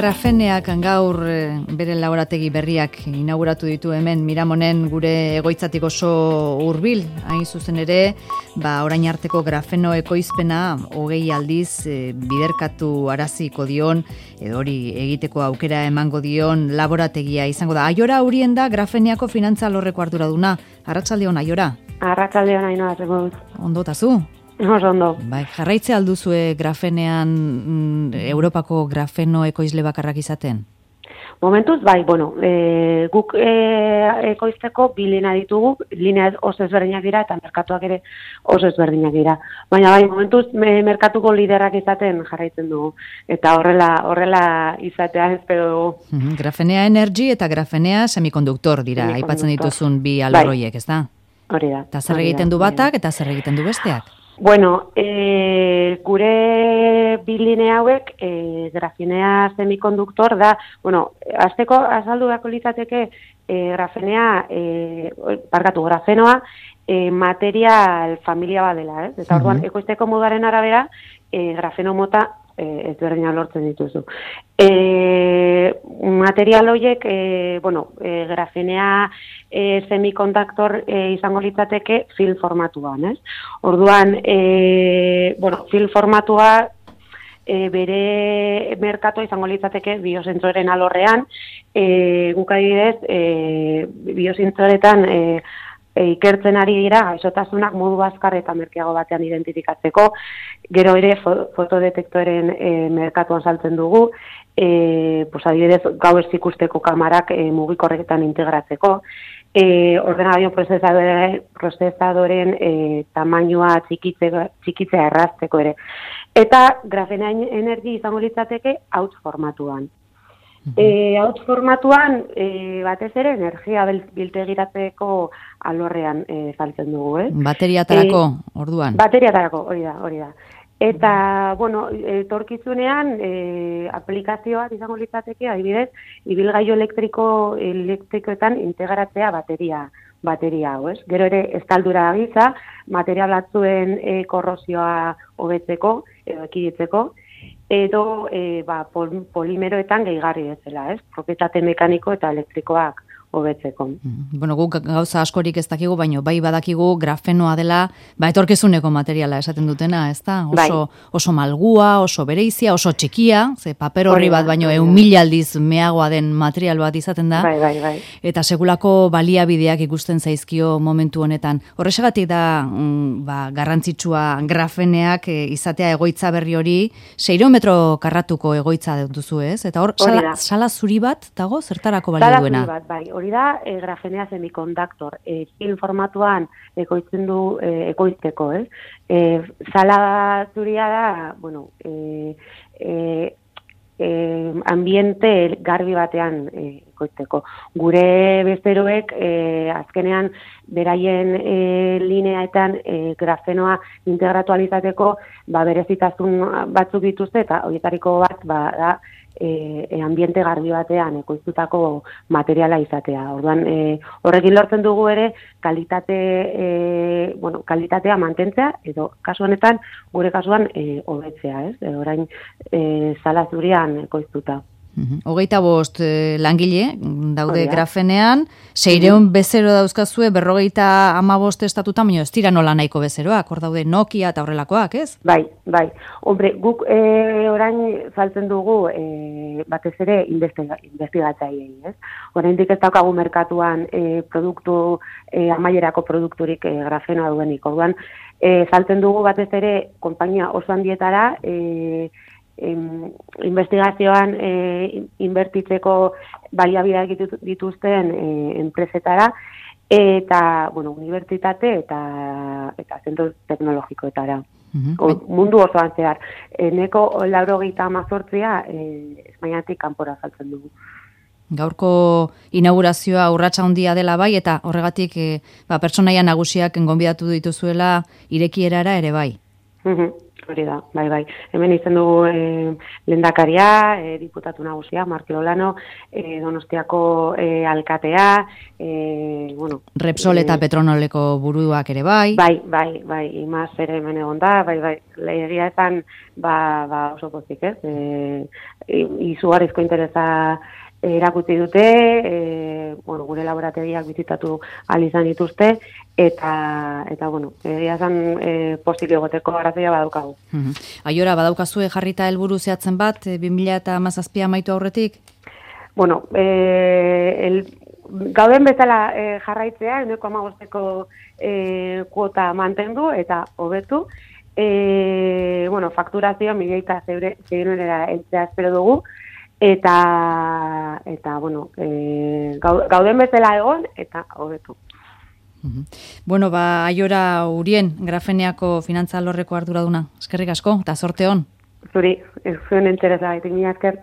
Grafeneak gaur bere laborategi berriak inauguratu ditu hemen Miramonen gure egoitzatik oso hurbil, hain zuzen ere, orain arteko grafeno ekoizpena 20 aldiz biderkatu araziko dion, edo hori egiteko aukera emango dion laborategia izango da. Aiora Urien da Grafeneako finantza alorreko arduraduna. Arratsaldeon, Aiora. Arratsaldeon, Ainhoa, zengo dut. Ondo tazu? Ondo. Bai, jarraitze alduzue Grafenean Europako grafeno ekoizle bakarrak izaten? Momentuz, bai, guk ekoizteko bi linea ditugu, linea oso ezberdinak dira eta merkatuak ere oso ezberdinak dira. Baina bai, momentuz merkatuko liderrak izaten jarraitzen dugu. Eta horrela izatea espero dugu. Grafenea Energy eta Grafenea Semikonduktor dira, aipatzen dituzun bi alorroiek, ez da? Hori da. Eta zer egiten du batak eta zer egiten du besteak? Gure bi linea hauek, grafenea semikonduktor da, azteko azaldu beharko litzateke grafenoa material familia bat dela, ez? Eta orduan, ekoizteko modaren arabera, grafeno mota ezberdina lortzen dituzu. Material horiek, grafenea semikonduktor izango litzateke film formatuan, ez? Orduan, film formatua bere merkatua izango litzateke biosentsoren alorrean, guk adibidez, biosentsoretan ikertzen ari dira gaixotasunak modu azkar eta merkeago batean identifikatzeko, gero ere fotodetektoren merkatuan saltzen dugu, adibidez gauez ikusteko kamarak mugikorretan integratzeko, ordenagailu prozesadoren tamainua txikitzea errazteko ere. Eta Grafenea Energy izango litzateke hauts formatuan. Hauts formatuan, batez ere, energia biltegiratzeko alorrean saltzen dugu, Bateriatarako, orduan? Bateriatarako, hori da. Eta, etorkizunean, aplikazioak izango litzateke, adibidez, ibilgailu elektrikoetan integratzea bateria hau, ez? Gero ere, estaldura giza, material batzuen korrosioa hobetzeko, edo ekiditzeko, edo polimeroetan gehigarri bezala, ez? Propietate mekaniko eta elektrikoak hobetzeko. Guk gauza askorik ez dakigu, baina bai badakigu grafenoa dela, etorkizuneko materiala esaten dutena, ez da? Oso malgua, oso bereizia, oso txikia, ze paper horri bat baino 1.000 aldiz meagoa den material bat izaten da. Bai. Eta segulako baliabideak ikusten zaizkio momentu honetan. Horrexegatik da garrantzitsua grafeneak izatea egoitza berri hori, 600 metro karratuko egoitza duzu, ez? Eta hor, sala zuri bat dago, zertarako balio duena? Sala zuri bat, bai. Hori da, grafenea semikonduktor, film formatuan ekoizteko, ez? Sala zuria da, ambiente garbi batean ekoizteko. Gure bezeroek, azkenean, beraien lineaetan grafenoa integratualizateko, berezitasun batzuk dituzte, eta horietariko bat, da, ambiente garbi batean ekoiztutako materiala izatea. Orduan, horrekin lortzen dugu ere kalitatea mantentzea, edo kasu honetan, gure kasuan hobetzea, ez? Orain sala zurian ekoiztuta. 25 langile daude Grafenean, 600 bezero dauzkazue, 55 estatutan, baina ez dira nola nahiko bezeroak, hor daude Nokia eta horrelakoak, ez? Bai. Hombre, guk orain saltzen dugu batez ere investigatzaileei, ez? Oraindik ez daukagu merkatuan produktu amaierako produkturik grafenoa duenik. Orduan, saltzen dugu batez ere konpainia oso handietara, investigazioan inbertitzeko baliabideak dituzten enpresetara eta unibertsitate eta zentro teknologikoetara. Mundu osoan zehar. Eneko 98 Espainiatik kanpora saltzen dugu. Gaurko inaugurazioa urratsa handia dela bai, eta horregatik pertsonaia nagusiak gonbidatu dituzuela irekierara ere bai. Hori da, bai. Hemen izan dugu lehendakaria, diputatu nagusia, Markel Olano, Donostiako alkatea, bueno... Repsol eta Petronoleko buruak ere bai. Bai, imaz ere hemen egon da, bai. Egia esan, oso pozik, ez? Izugarrizko interesa erakutsi dute, gure laborategiak bizitatu ahal izan dituzte, eta bueno, egia esan posible egoteko arrazoia badaukagu. Aiora, badaukazue jarrita helburu zehatzen bat, 2017 amaitu aurretik? Bueno, gauden bezala jarraitzea, 1,5ko kuota mantendu eta hobetu. Bueno, fakturazioa 1.600 heltzea espero dugu, eta bueno, gauden bezala egon eta hobetu. Bueno, Aiora Urien, Grafeniako finantza alorreko arduraduna. Eskerrik asko, eta zorte on. Zuri, ez zuen interesa, mila esker.